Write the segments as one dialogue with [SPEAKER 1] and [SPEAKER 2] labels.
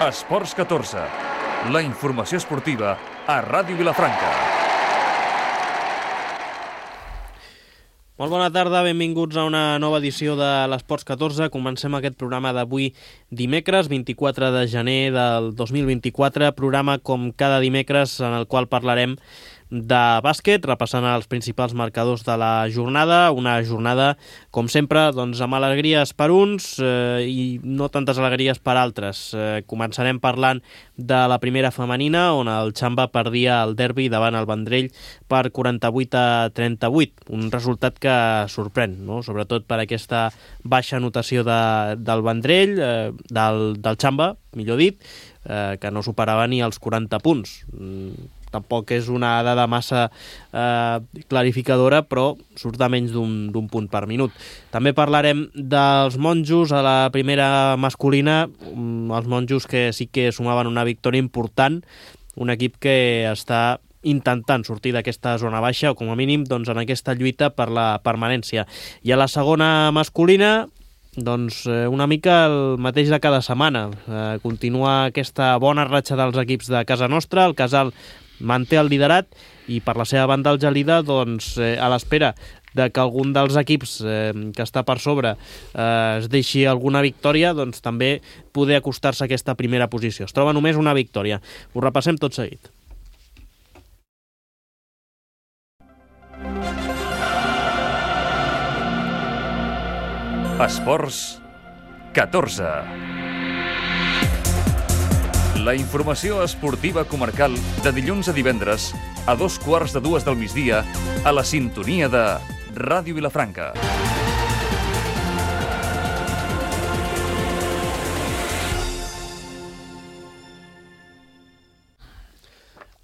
[SPEAKER 1] Esports 14, la informació esportiva a Ràdio Vilafranca.
[SPEAKER 2] Molt bona tarda, benvinguts a una nova edició de l'Esports 14. Comencem aquest programa d'avui dimecres, 24 de gener del 2024, programa com cada dimecres en el qual parlarem de bàsquet, repassant els principals marcadors de la jornada, una jornada, com sempre, doncs, amb alegries per uns i no tantes alegries per altres. Començarem parlant de la primera femenina, on el Xamba perdia el derbi davant el Vendrell per 48-38, un resultat que sorprèn, no? Sobretot per aquesta baixa anotació del Vendrell, del Xamba, millor dit, que no superava ni els 40 punts. Tampoc és una dada massa clarificadora, però surt a menys d'un punt per minut. També parlarem dels monjos a la primera masculina, els monjos que sí que sumaven una victòria important, un equip que està intentant sortir d'aquesta zona baixa, o com a mínim doncs, en aquesta lluita per la permanència. I a la segona masculina, doncs una mica el mateix de cada setmana. Continua aquesta bona ratxa dels equips de casa nostra, el Casal manté el liderat i per la seva banda el Gelida, doncs, a l'espera de que algun dels equips que està per sobre es deixi alguna victòria, doncs també poder acostar-se a aquesta primera posició. Es troba només una victòria. Ho repassem tot seguit.
[SPEAKER 1] Esports 14. La informació esportiva comarcal de dilluns a divendres a 2:15 del migdia a la sintonia de Ràdio Vilafranca.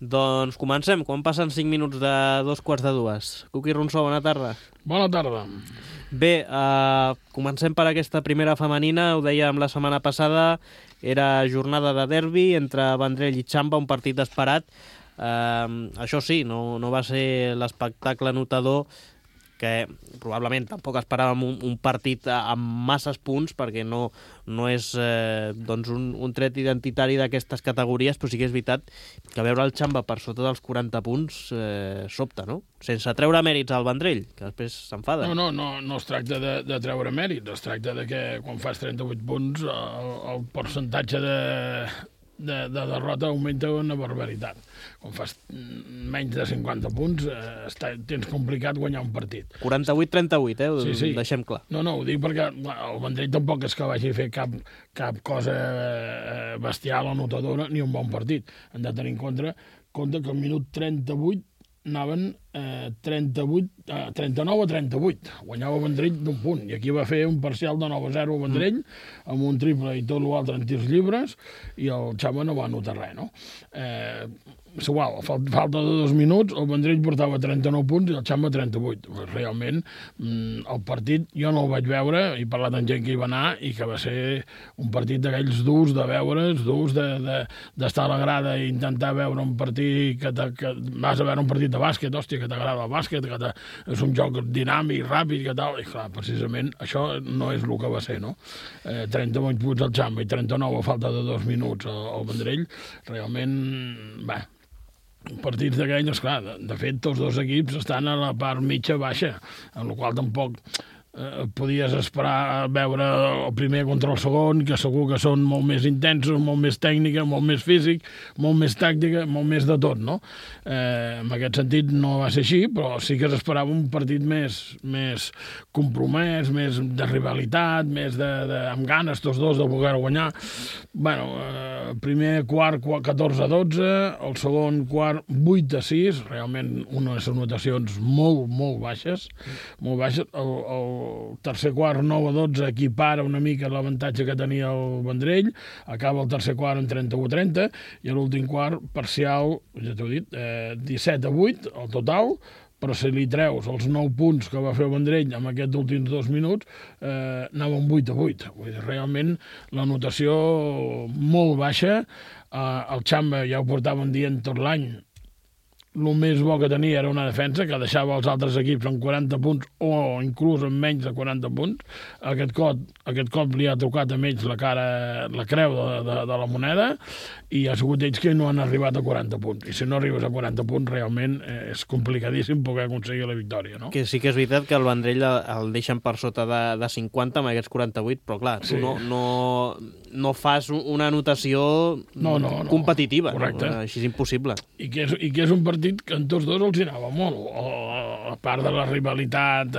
[SPEAKER 2] Doncs comencem, quan passen 5 minuts de 2:15. Cuqui Ronsó, bona tarda.
[SPEAKER 3] Bona tarda.
[SPEAKER 2] Bé, comencem per aquesta primera femenina, ho dèiem la setmana passada, era jornada de derbi entre Vendrell i Xamba, un partit esperat. Això sí, no va ser l'espectacle notador, que probablement tampoc esperàvem un partit amb masses punts, perquè no és doncs un tret identitari d'aquestes categories, però sí que és veritat que veure el Xamba per sota dels 40 punts sobta, no? Sense treure mèrits al Vendrell, que després s'enfada.
[SPEAKER 3] No es tracta de treure mèrits, es tracta de que quan fas 38 punts el percentatge de derrota augmenta una barbaritat. Quan fas menys de 50 punts tens complicat guanyar un partit.
[SPEAKER 2] 48-38,
[SPEAKER 3] Sí.
[SPEAKER 2] Deixem clar.
[SPEAKER 3] No, ho dic perquè el Vendrell tampoc és que vagi a fer cap cosa bestial o notadora ni un bon partit. Hem de tenir en compte que al minut 38 anaven 39-38. Guanyava el Vendrell d'un punt. I aquí va fer un parcial de 9-0 al Vendrell, amb un triple i tot l'altre en tirs lliures, i el Xamba no va anotar res, no? És igual, falta de 2 minuts, el Vendrell portava 39 punts i el Xamba 38. Realment, el partit jo no el vaig veure, he parlat amb gent que hi va anar, i que va ser un partit d'aquells durs de veure's, durs d'estar a la grada i intentar veure un partit que vas a veure un partit de bàsquet, hòstia, que t'agrada el bàsquet, que és un joc dinàmic, ràpid, que tal, i clar, precisament això no és el que va ser, no? 38 punts al Xamba i 39 a falta de 2 minuts al Vendrell, realment, bé, partits d'aquells, clar, de fet, tots dos equips estan a la part mitja-baixa, en la qual tampoc podies esperar veure el primer contra el segon, que segur que són molt més intensos, molt més tècnica, molt més físic, molt més tàctica, molt més de tot, no? En aquest sentit no va ser així, però sí que s'esperava un partit més compromès, més de rivalitat, més amb ganes tots dos de voler guanyar. Primer quart 14-12, el segon quart 8-6, realment unes anotacions molt, molt baixes, molt baixes. El tercer quart 9-12 equipara una mica l'avantatge que tenia el Vendrell, acaba el tercer quart en 31-30 i l'últim quart parcial, ja t'ho he dit, 17-8 al total, però si li treus els 9 punts que va fer el Vendrell en aquests últims 2 minuts, anava un 8-8. Vull dir, realment la notació molt baixa. El Xamba ja ho portaven dient tot l'any, el més bo que tenia era una defensa que deixava els altres equips amb 40 punts o inclús amb menys de 40 punts. Aquest cop li ha tocat a ells la creu de la moneda i ha sigut ells que no han arribat a 40 punts. I si no arribes a 40 punts realment és complicadíssim poder aconseguir la victòria, no?
[SPEAKER 2] Que sí que és veritat que el Vendrell el deixen per sota de 50 amb aquests 48, però clar, tu no fas una anotació competitiva.
[SPEAKER 3] Correcte.
[SPEAKER 2] No? Així és impossible.
[SPEAKER 3] I que és un partit que en tots dos els anava molt, a part de la rivalitat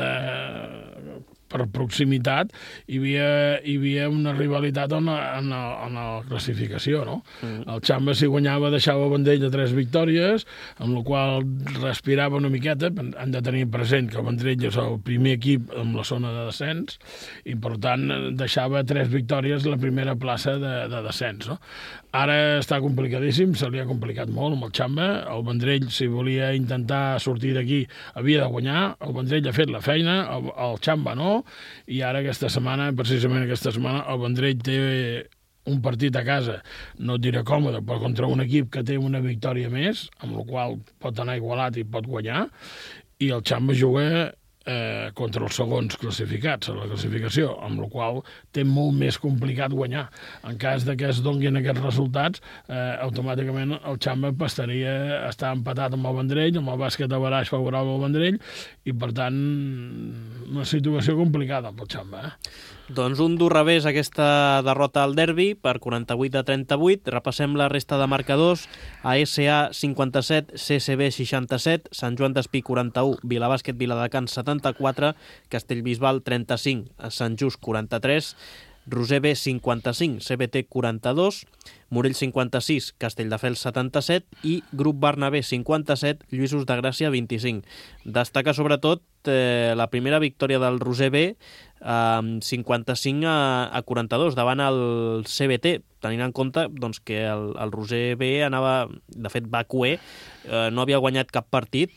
[SPEAKER 3] per proximitat, hi havia una rivalitat en la classificació, no? El Xamba, si guanyava, deixava Vendrell de 3 victòries, amb la qual respirava una miqueta. Han de tenir present que el Vendrell és el primer equip en la zona de descens i, per tant, deixava 3 victòries la primera plaça de descens, no? Ara està complicadíssim, se li ha complicat molt amb el Xamba. El Vendrell, si volia intentar sortir d'aquí, havia de guanyar. El Vendrell ha fet la feina, el Xamba no, i ara precisament aquesta setmana, el Vendrell té un partit a casa, no et diré còmode, però contra un equip que té una victòria més, amb la qual pot anar igualat i pot guanyar, i el Xamba juga contra els segons classificats a la classificació, amb la qual té molt més complicat guanyar. En cas que es donguin aquests resultats, automàticament el Xamba passaria a estar empatat amb el Vendrell, amb el bàsquet a baraix favorable al Vendrell, i per tant una situació complicada pel Xamba.
[SPEAKER 2] Doncs un dur revés aquesta derrota al derbi per 48-38. Repassem la resta de marcadors. ASA 57, CCB 67, Sant Joan d'Espí 41, Vilabàsquet Viladecans 74, Castellbisbal 35, Sant Just 43, Roser B 55, CBT 42, Morell 56, Castelldefels 77 i Grup Bernabé 57, Lluïsos de Gràcia 25. Destaca sobretot la primera victòria del Roser B 55 a 42 davant el CBT, tenint en compte doncs, que el Roser B anava, de fet va cuer, no havia guanyat cap partit,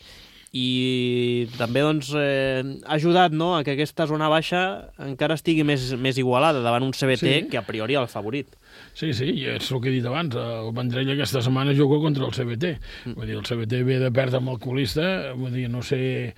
[SPEAKER 2] i també doncs, ha ajudat, no?, a que aquesta zona baixa encara estigui més igualada davant un CBT que a priori el favorit.
[SPEAKER 3] Sí, i és el que he dit abans, el Vendrell aquesta setmana juga contra el CBT. Vull dir, el CBT ve de perdre amb el colista, vull dir, no sé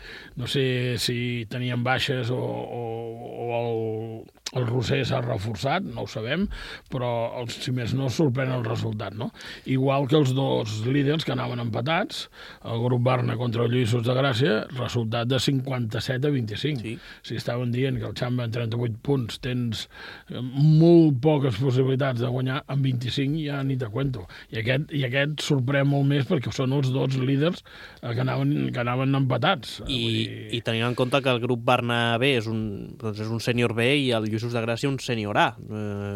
[SPEAKER 3] si tenien baixes o el Roser s'ha reforçat, no ho sabem, però si més no sorprèn el resultat, no? Igual que els dos líders que anaven empatats, el Grup Barna contra el Lluïsos de Gràcia, resultat de 57-25. Sí. Si estaven dient que el Xamba en 38 punts tens molt poques possibilitats de guanyar, amb 25 ja ni te cuento. I aquest sorprèn molt més perquè són els dos líders que anaven empatats.
[SPEAKER 2] I tenint en compte que el Grup Barna B és un sènior B i el Lluïsos de Gràcia un sènior A.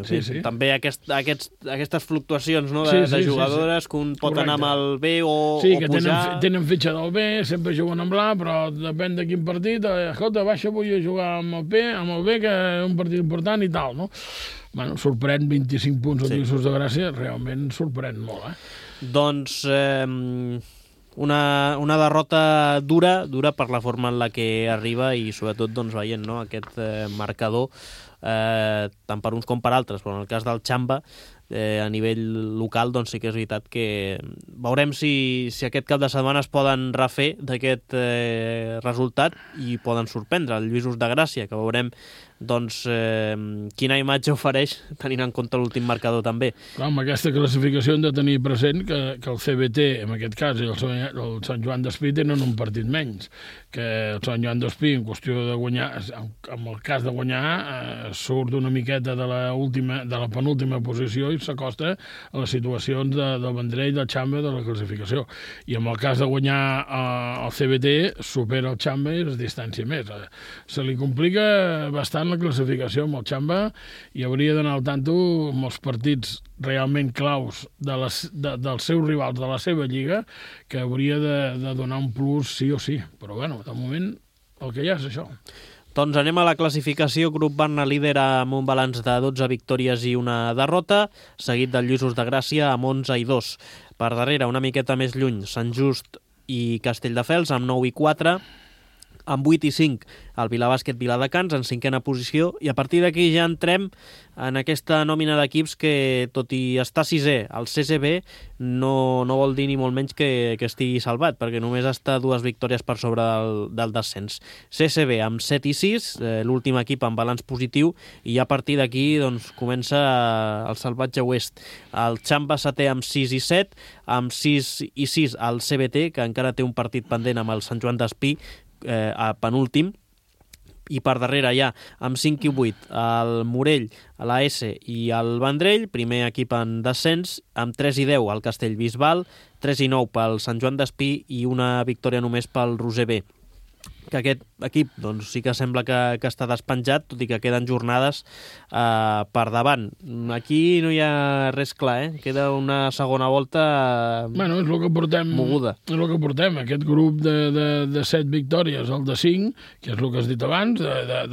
[SPEAKER 2] Sí. També aquestes fluctuacions, no, de jugadores que un pot anar amb el B o pujar...
[SPEAKER 3] Tenen fitxa del B, sempre juguen amb l'A, però depèn de quin partit. Escolta, baixa, vull jugar amb el B, que és un partit important i tal, no? Bueno, sorprèn 25 punts al Lluïsos de Gràcia, realment sorprèn molt,
[SPEAKER 2] Doncs una derrota dura per la forma en la que arriba i sobretot doncs, veient, no, aquest marcador tant per uns com per altres, però en el cas del Xamba a nivell local doncs sí que és veritat que veurem si aquest cap de setmana es poden refer d'aquest resultat i poden sorprendre el Lluïsos de Gràcia, que veurem doncs quina imatge ofereix tenint en compte l'últim marcador també.
[SPEAKER 3] Clar, amb aquesta classificació hem de tenir present que el CBT, en aquest cas, i el Sant Joan d'Espí tenen un partit menys, que el Sant Joan d'Espí, en qüestió de guanyar, en el cas de guanyar, surt una miqueta de la penúltima posició i s'acosta a les situacions del Vendrell, del Xamba, de la classificació. I en el cas de guanyar el CBT, supera el Xamba i es distància més. Se li complica bastant la classificació amb el Xamba i hauria d'anar al tanto amb els partits realment claus dels seus rivals de la seva lliga, que hauria de donar un plus sí o sí. Però bueno, de moment el que hi ha és això.
[SPEAKER 2] Doncs anem a la classificació. Grup Barna líder amb un balanç de 12 victòries i una derrota, seguit del Lluïsos de Gràcia amb 11 i 2. Per darrere, una miqueta més lluny, Sant Just i Castelldefels amb 9 i 4, amb 8 i 5 el Vilabàsquet Viladecans en 5a posició, i a partir d'aquí ja entrem en aquesta nòmina d'equips que, tot i estar 6è, el CCB no vol dir ni molt menys que estigui salvat, perquè només està 2 victòries per sobre del descens. CCB amb 7 i 6, l'últim equip amb balanç positiu, i a partir d'aquí doncs, comença el salvatge oest. El Xamba setè amb 6 i 7, amb 6 i 6 el CBT, que encara té un partit pendent amb el Sant Joan d'Espí, a penúltim, i per darrere ja, amb 5 i 8, el Morell, la S i el Vendrell, primer equip en descens, amb 3 i 10 el Castellbisbal, 3 i 9 pel Sant Joan d'Espí i una victòria només pel Roser B. Que aquest equip doncs, sí que sembla que està despenjat, tot i que queden jornades per davant. Aquí no hi ha res clar, queda una segona volta
[SPEAKER 3] bueno, és el que portem,
[SPEAKER 2] moguda.
[SPEAKER 3] És el que portem, aquest grup de 7 victòries, el de 5, que és el que has dit abans,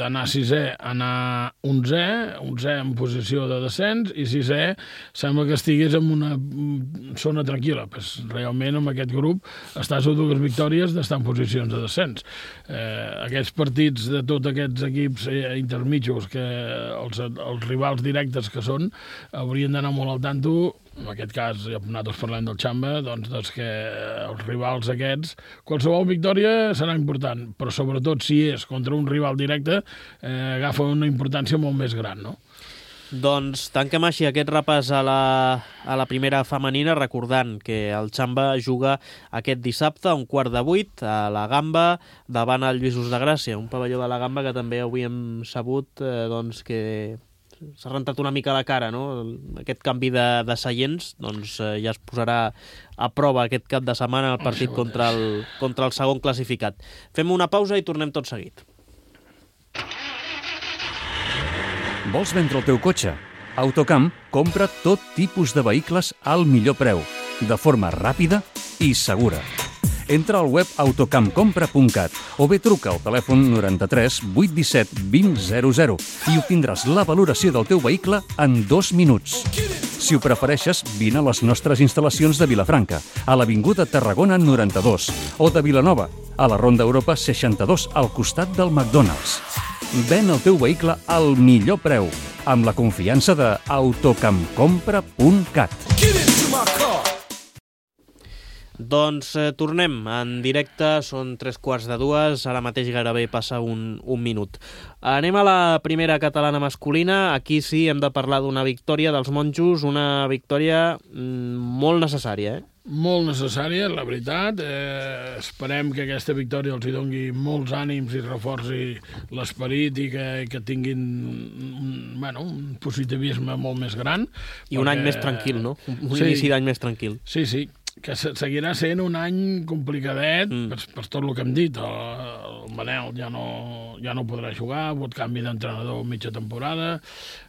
[SPEAKER 3] d'anar 6è, anar 11è en posició de descens, i 6è sembla que estigués en una zona tranquil·la. Pues, realment, amb aquest grup, estàs a 2 victòries d'estar en posicions de descens. Aquests partits de tots aquests equips intermitjos, que els rivals directes que són, haurien d'anar molt al tanto. En aquest cas, nosaltres parlem del Xamba, doncs que els rivals aquests, qualsevol victòria serà important, però sobretot si és contra un rival directe, agafa una importància molt més gran, no?
[SPEAKER 2] Doncs tanquem així aquest repàs a la primera femenina, recordant que el Xamba juga aquest dissabte a 7:15 a la Gamba, davant el Lluïsos de Gràcia, un pavelló de la Gamba que també avui hem sabut doncs, que s'ha rentat una mica la cara, no? Aquest canvi de seients doncs, ja es posarà a prova aquest cap de setmana el partit contra el segon classificat. Fem una pausa i tornem tot seguit.
[SPEAKER 1] Vols vendre el teu cotxe? Autocamp compra tot tipus de vehicles al millor preu, de forma ràpida i segura. Entra al web autocampcompra.cat o bé truca al telèfon 93 817 2000 i obtindràs la valoració del teu vehicle en 2 minuts. Si ho prefereixes, vine a les nostres instal·lacions de Vilafranca, a l'Avinguda Tarragona 92, o de Vilanova, a la Ronda Europa 62, al costat del McDonald's. Ven el teu vehicle al millor preu, amb la confiança de autocampcompra.cat.
[SPEAKER 2] Doncs tornem en directe, són 3:15, ara mateix gairebé passa un minut. Anem a la primera catalana masculina. Aquí sí hem de parlar d'una victòria dels monjos, una victòria molt necessària,
[SPEAKER 3] Molt necessària, la veritat. Esperem que aquesta victòria els hi doni molts ànims i reforci l'esperit i que tinguin un positivisme molt més gran.
[SPEAKER 2] I un any més tranquil, no? Un inici d'any més tranquil.
[SPEAKER 3] Sí, que seguirà sent un any complicadet per tot el que hem dit. El Manel ja no podrà jugar, ha hagut canvi d'entrenador mitja temporada,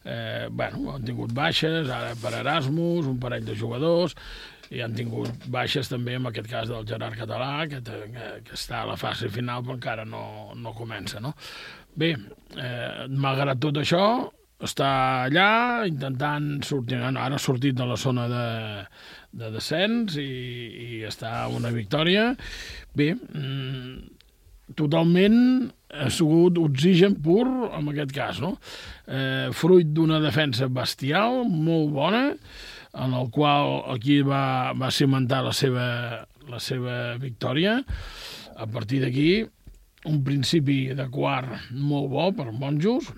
[SPEAKER 3] han tingut baixes, ara per Erasmus, un parell de jugadors, i han tingut baixes també en aquest cas del Gerard Català, que està a la fase final però encara no comença, no? Bé, malgrat tot això, està allà intentant sortir, ara ha sortit de la zona de descens i està una victòria. Bé, totalment ha sigut oxigen pur en aquest cas, no? Fruit d'una defensa bestial, molt bona, en el qual aquí va cimentar la seva victòria. A partir d'aquí, un principi de quart molt bo per monjos.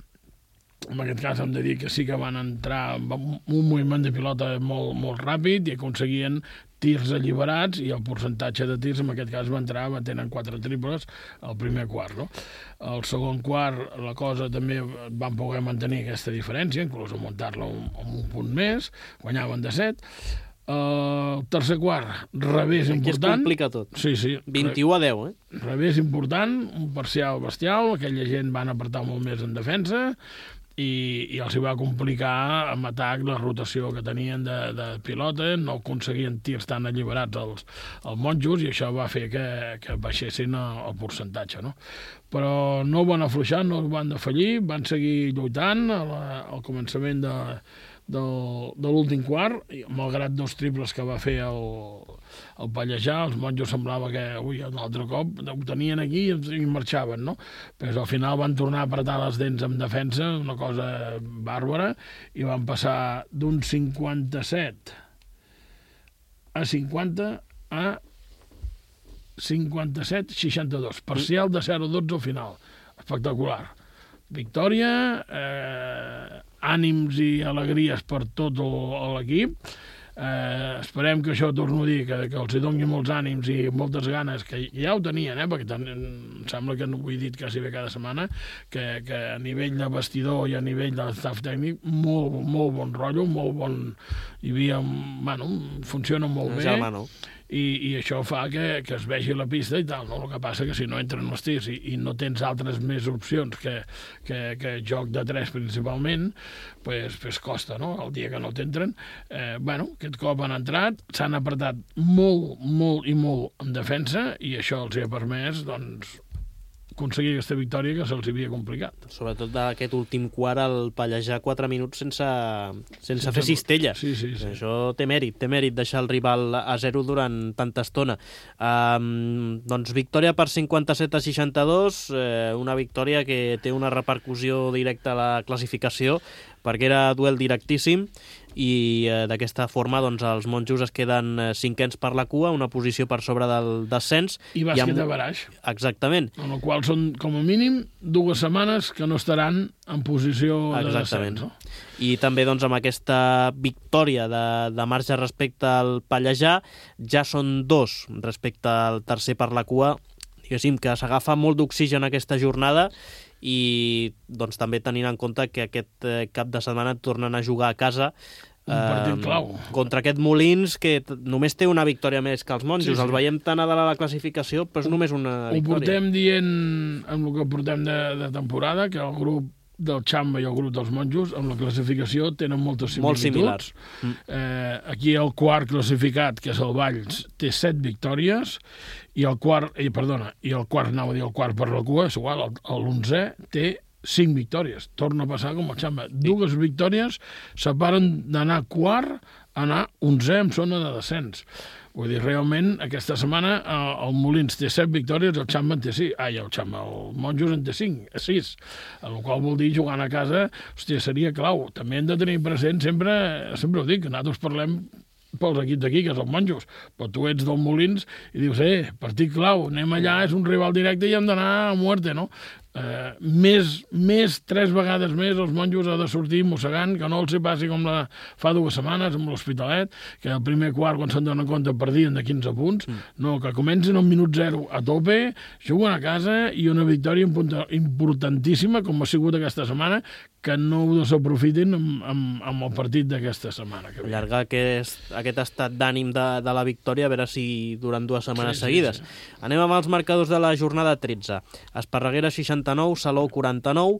[SPEAKER 3] En aquest cas hem de dir que sí que van entrar amb un moviment de pilota molt ràpid i aconseguien tirs alliberats, i el percentatge de tirs en aquest cas va entrar tenen 4 triples al primer quart, no? Al segon quart la cosa també van poder mantenir aquesta diferència, inclús augmentar-la amb un punt més, guanyaven de 7. El tercer quart, revés important.
[SPEAKER 2] Aquí es complica tot.
[SPEAKER 3] Sí.
[SPEAKER 2] 21-10,
[SPEAKER 3] Revés important, un parcial bestial, aquella gent van apretar molt més en defensa, i els hi va complicar amb atac la rotació que tenien de pilota, no aconseguien tirs tan alliberats els monjos, i això va fer que baixessin el percentatge, no? Però no van afluixar, no van defallir, van seguir lluitant al començament de l'últim quart, malgrat 2 triples que va fer el Pallejà, els monjos semblava que, un altre cop ho tenien aquí i marxaven, no? Però al final van tornar a apretar les dents en defensa, una cosa bàrbara, i van passar d'un 57 a 50 a 57-62, parcial de 0-12 al final. Espectacular. Victòria, ànims i alegries per tot l'equip. Esperem que això, torno a dir, que els doni molts ànims i moltes ganes, que ja ho tenien, perquè em sembla que no ho he dit quasi bé cada setmana, que a nivell de vestidor i a nivell de staff tècnic, molt bon rotllo, molt bon... Hi havia, funciona molt bé. I això fa que es vegi la pista i tal, no? El que passa que si no entren els tirs i no tens altres més opcions que joc de 3 principalment, pues costa, no? El dia que no t'entren. Aquest cop han entrat, s'han apretat molt i molt en defensa i això els ha permès, doncs, aconseguir aquesta victòria que se'ls havia complicat.
[SPEAKER 2] Sobretot d'aquest últim quart, el Pallejà 4 minuts sense fer cistella.
[SPEAKER 3] Sí.
[SPEAKER 2] Això té mèrit deixar el rival a 0 durant tanta estona. Doncs victòria per 57-62, una victòria que té una repercussió directa a la classificació, perquè era duel directíssim, i d'aquesta forma doncs, els monjos es queden 5ens per la cua, una posició per sobre del descens.
[SPEAKER 3] I bàsquet de baraix.
[SPEAKER 2] Exactament.
[SPEAKER 3] En el qual són, com a mínim, 2 setmanes que no estaran en posició de descens. No?
[SPEAKER 2] I també doncs, amb aquesta victòria de marge respecte al Pallejà, ja són 2 respecte al tercer per la cua, diguéssim que s'agafa molt d'oxigen aquesta jornada, i doncs també tenint en compte que aquest cap de setmana tornen a jugar a casa
[SPEAKER 3] un partit clau
[SPEAKER 2] contra aquest Molins, que només té una victòria més que els monjos. Els veiem tan a dalt a la classificació, però és només una victòria.
[SPEAKER 3] Ho portem dient amb el que portem de temporada, que el grup del Xamba i el grup dels monjos amb la classificació tenen moltes similituds.
[SPEAKER 2] Molt similars.
[SPEAKER 3] Aquí el quart classificat, que és el Valls, té 7 victòries i el quart per la cua, és igual, l'11è té 5 victòries. Torna a passar com el Xamba. 2 victòries separen d'anar quart a anar 11è en zona de descens. Vull dir, realment, aquesta setmana el Molins té 7 victòries, el Xamba en té 6. El Monjos en té 6. El qual vol dir, jugant a casa, hòstia, seria clau. També hem de tenir present, sempre ho dic, que nosaltres parlem pels equips d'aquí, que és els Monjos, però tu ets del Molins i dius, partit clau, anem allà, és un rival directe i hem d'anar a muerte, no? Més 3 vegades més els monjos ha de sortir mossegant, que no els hi passi com fa 2 setmanes amb l'Hospitalet, que el primer quart, quan se'n donen compte, perdien de 15 punts. No, que comencin al minut 0 a tope, juguen a casa i una victòria importantíssima, com ha sigut aquesta setmana, que no ho desaprofitin amb el partit d'aquesta setmana.
[SPEAKER 2] Allargar aquest estat d'ànim de la victòria, a veure si durant 2 setmanes seguides. Anem amb els marcadors de la jornada 13. Esparreguera 69, Salou 49,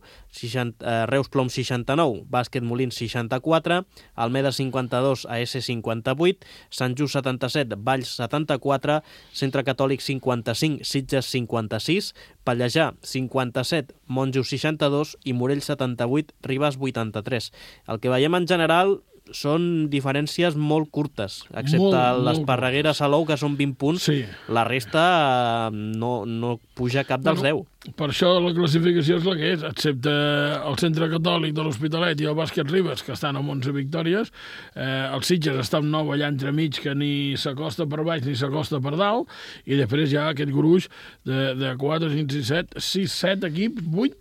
[SPEAKER 2] Reus Plom 69, Bàsquet Molins 64, Almeda 52, AS 58, Sant Just 77, Valls 74, Centre Catòlic 55, Sitges 56, Pallejà 57, Monjos 62 i Morell 78, Ribes 83. El que veiem en general són diferències molt curtes, excepte l'Esparreguera Salou, que són 20 punts.
[SPEAKER 3] Sí.
[SPEAKER 2] La resta no puja cap dels 10.
[SPEAKER 3] Per això la classificació és la que és, excepte el Centre Catòlic de l'Hospitalet i el Bàsquet Ribes, que estan amb 11 victòries. El Sitges està amb 9 allà entremig, que ni s'acosta per baix ni s'acosta per dalt, i després hi ha aquest gruix de 4, 5, 6, 7 equips,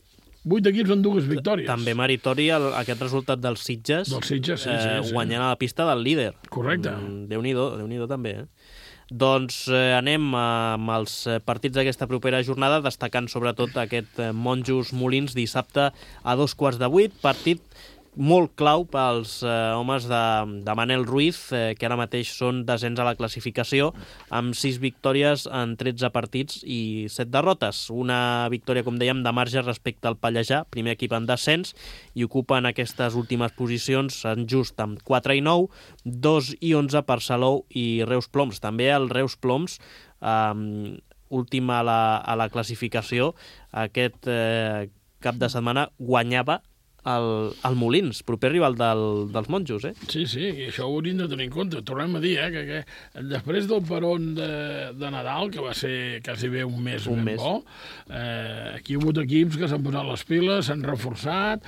[SPEAKER 3] 8 equips amb 2 victòries.
[SPEAKER 2] També meritori aquest resultat dels Sitges,
[SPEAKER 3] sí.
[SPEAKER 2] Guanyant a la pista del líder.
[SPEAKER 3] Correcte.
[SPEAKER 2] Déu-n'hi-do també, Doncs anem amb els partits d'aquesta propera jornada, destacant sobretot aquest Monjos Molins dissabte a 7:15, partit molt clau pels homes de Manel Ruiz, que ara mateix són desens a la classificació, amb 6 victòries en 13 partits i 7 derrotes. Una victòria, com dèiem, de marge respecte al Pallejà, primer equip en descens, i ocupen aquestes últimes posicions Sant Just amb 4 i 9, 2 i 11 per Salou i Reus Ploms. També el Reus Ploms, últim a la classificació, aquest cap de setmana guanyava al Molins, proper rival dels monjos,
[SPEAKER 3] Sí, i això ho hauríem de tenir en compte. Tornem a dir, que després del peron de Nadal, que va ser quasi bé un mes bo, aquí hi ha hagut equips que s'han posat les piles, s'han reforçat,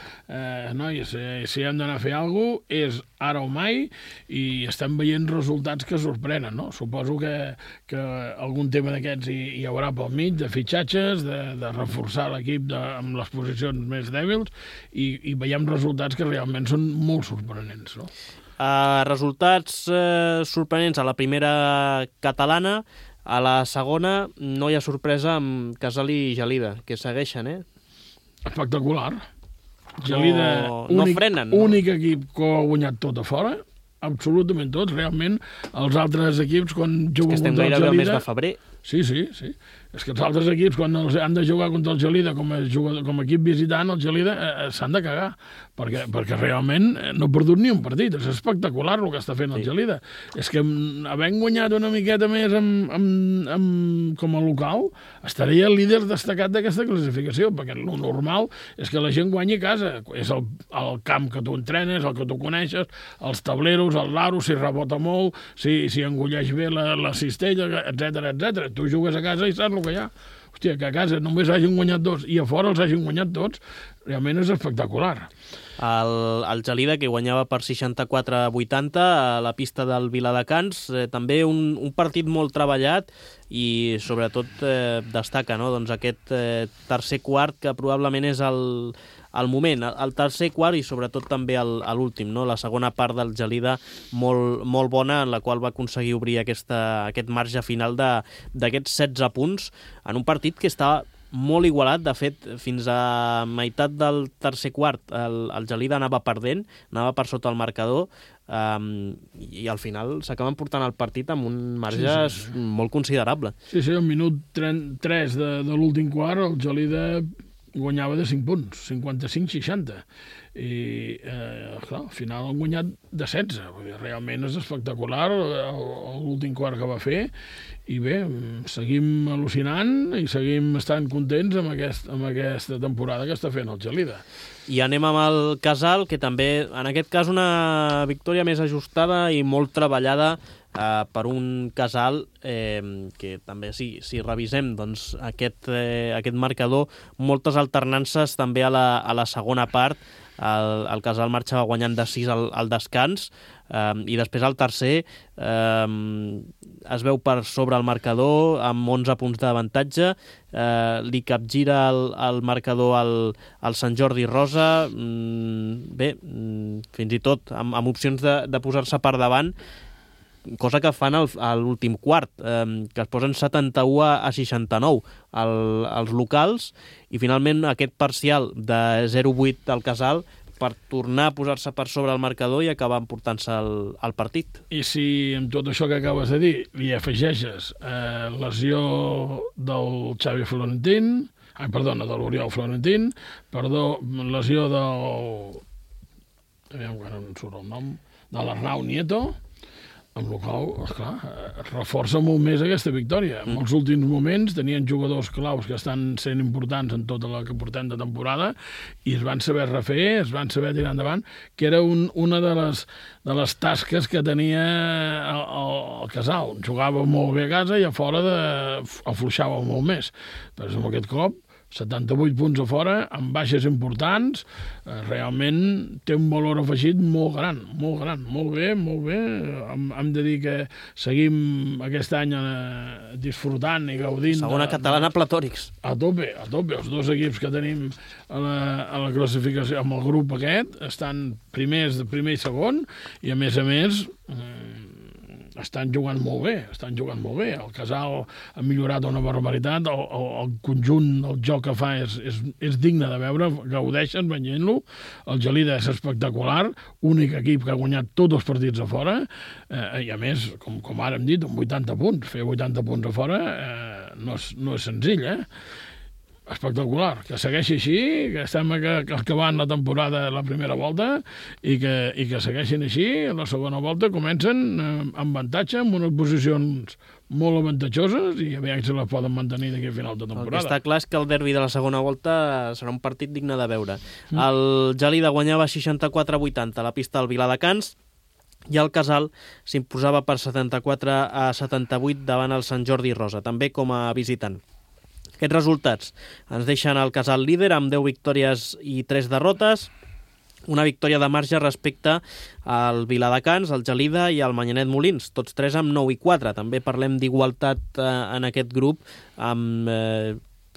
[SPEAKER 3] nois, si hem d'anar a fer alguna cosa, és ara o mai, i estem veient resultats que sorprenen, no? Suposo que algun tema d'aquests hi haurà pel mig, de fitxatges, de reforçar l'equip amb les posicions més dèbils, i veiem resultats que realment són molt sorprenents, no?
[SPEAKER 2] Resultats sorprenents a la primera catalana. A la segona no hi ha sorpresa amb Casal i Gelida, que segueixen,
[SPEAKER 3] Espectacular. Gelida,
[SPEAKER 2] no frenen, no?
[SPEAKER 3] Únic equip que ha guanyat tot a fora, absolutament tots. Realment, els altres equips, quan juguen contra el Gelida... És que estem
[SPEAKER 2] gairebé al mes de febrer.
[SPEAKER 3] Sí. És que els altres equips, quan han de jugar contra el Gelida com a equip visitant, el Gelida s'han de cagar, perquè realment no ha perdut ni un partit. És espectacular el que està fent el Gelida. És que havent guanyat una miqueta més com a local, estaria el líder destacat d'aquesta classificació, perquè el normal és que la gent guanyi a casa. És el camp que tu entrenes, el que tu coneixes, els tableros, el laro, si rebota molt, si engulleix bé la cistella, etc. Tu jugues a casa i saps el que hi ha. Hòstia, que a casa només hagin guanyat 2 i a fora els hagin guanyat tots, realment és espectacular.
[SPEAKER 2] El Gelida, que guanyava per 64-80 a la pista del Viladecans, també un partit molt treballat, i sobretot destaca, no? Doncs aquest tercer quart, que probablement és el moment, el tercer quart, i sobretot també l'últim, no? La segona part del Gelida molt, molt bona, en la qual va aconseguir obrir aquest marge final d'aquests 16 punts en un partit que estava molt igualat. De fet, fins a meitat del tercer quart el Gelida anava perdent, anava per sota el marcador, i al final s'acaben portant el partit amb un marge molt considerable.
[SPEAKER 3] Sí, al minut 3 de l'últim quart el Gelida guanyava de 5 punts, 55-60. I, clar, al final han guanyat de 16. Realment és espectacular l'últim quart que va fer. I bé, seguim al·lucinant i seguim estant contents amb aquesta temporada que està fent el Gelida.
[SPEAKER 2] I anem amb el Casal, que també, en aquest cas, una victòria més ajustada i molt treballada per un Casal que també, si revisem doncs, aquest marcador, moltes alternances també a la segona part. El Casal marxava guanyant de 6 al descans, i després al tercer es veu per sobre el marcador amb 11 punts d'avantatge, li capgira el marcador al Sant Jordi Rosa, fins i tot amb opcions de posar-se per davant, cosa que fan a l'últim quart, que es posen 71-69 als locals, i finalment aquest parcial de 0-8 al Casal per tornar a posar-se per sobre el marcador i acabar emportant-se el partit.
[SPEAKER 3] I si amb tot això que acabes de dir li afegeixes lesió del Xavi Florentín, de l'Oriol Florentín, lesió del... aviam que no em surt el nom, de l'Arnau Nieto, amb el qual, esclar, reforça molt més aquesta victòria. En els últims moments tenien jugadors claus que estan sent importants en tota la que portem de temporada i es van saber refer, es van saber tirar endavant, que era una de les tasques que tenia el Casal. Jugava molt bé a casa i a fora afluixava molt més. Però amb aquest cop 78 punts a fora, amb baixes importants, realment té un valor afegit molt gran, molt bé. Hem de dir que seguim aquest any disfrutant i gaudint...
[SPEAKER 2] Segona catalana platòrics.
[SPEAKER 3] A tope. Els dos equips que tenim a la classificació, amb el grup aquest, estan primers de primer i segon, i a més estan jugant molt bé. El Casal ha millorat una barbaritat, el conjunt, el joc que fa és digne de veure, gaudeixen veient-lo. El Gelida és espectacular, únic equip que ha guanyat tots els partits a fora, i a més, com ara hem dit, amb 80 punts. Fer 80 punts a fora no és senzill, espectacular, que segueixi així, que estem acabant la temporada la primera volta i que segueixin així. La segona volta comencen amb avantatge, amb unes posicions molt avantatjoses i a veure si les poden mantenir d'aquí a final de temporada.
[SPEAKER 2] El que està clar és que el derbi de la segona volta serà un partit digne de veure. El Gelida guanyava 64-80 a la pista del Viladecans i el Casal s'imposava per 74-78 davant el Sant Jordi Rosa, també com a visitant. Aquests resultats ens deixen el Casal líder amb 10 victòries i 3 derrotes, una victòria de marge respecte al Viladecans, al Gelida i al Manyanet Molins, tots tres amb 9 i 4. També parlem d'igualtat en aquest grup, amb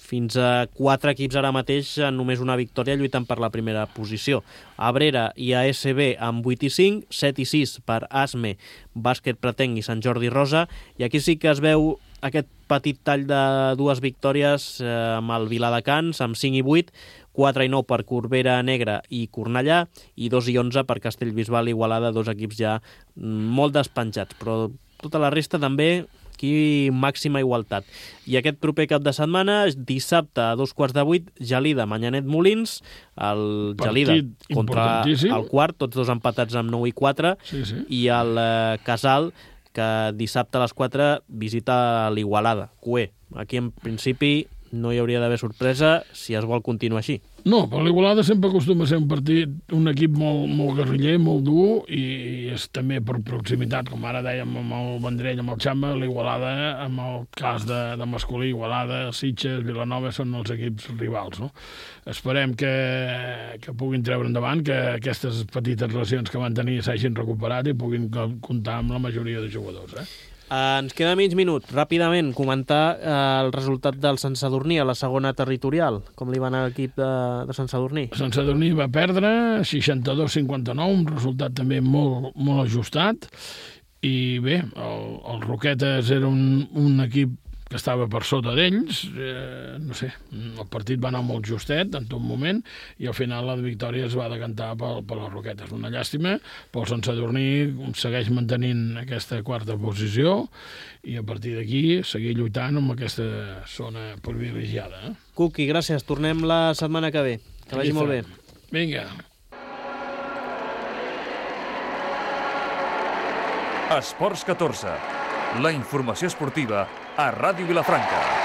[SPEAKER 2] fins a 4 equips ara mateix en només una victòria lluitant per la primera posició. Abrera i ASB amb 8 i 5, 7 i 6 per ASME, Bàsquet Pretenc i Sant Jordi Rosa, i aquí sí que es veu aquest petit tall de 2 victòries amb el Viladecans, amb 5 i 8, 4 i 9 per Corbera Negra i Cornellà, i 2 i 11 per Castellbisbal i Igualada, 2 equips ja molt despenjats, però tota la resta també aquí màxima igualtat. I aquest proper cap de setmana, dissabte a 2:15, Gelida, Manyanet Molins, el Gelida contra el quart, tots dos empatats amb 9 i 4, i el Casal, que dissabte a les 4 visita l'Igualada, Cué. Aquí, en principi, no hi hauria d'haver sorpresa si es vol continuar així.
[SPEAKER 3] No, però l'Igualada sempre acostuma a ser un equip molt guerriller, molt dur, i és també per proximitat, com ara dèiem amb el Vendrell, amb el Xamba, l'Igualada, amb el cas de masculí, Igualada, Sitges, Vilanova, són els equips rivals, no? Esperem que puguin treure endavant, que aquestes petites relacions que van tenir s'hagin recuperat i puguin comptar amb la majoria de jugadors,
[SPEAKER 2] Ens queda mig minut. Ràpidament, comentar el resultat del Sant Sadurní a la segona territorial. Com li va anar l'equip de Sant Sadurní?
[SPEAKER 3] Sant Sadurní va perdre 62-59, un resultat també molt ajustat. I bé, els Roquetes era un equip que estava per sota d'ells, no sé, el partit va anar molt justet en tot moment i al final la victòria es va decantar per les Roquetes. Una llàstima, però el Sant Sadurní segueix mantenint aquesta quarta posició i a partir d'aquí seguir lluitant amb aquesta zona privilegiada.
[SPEAKER 2] Cuqui, gràcies. Tornem la setmana que ve. Que vagi molt bé.
[SPEAKER 3] Vinga.
[SPEAKER 1] Esports 14. La informació esportiva a Ràdio Vilafranca.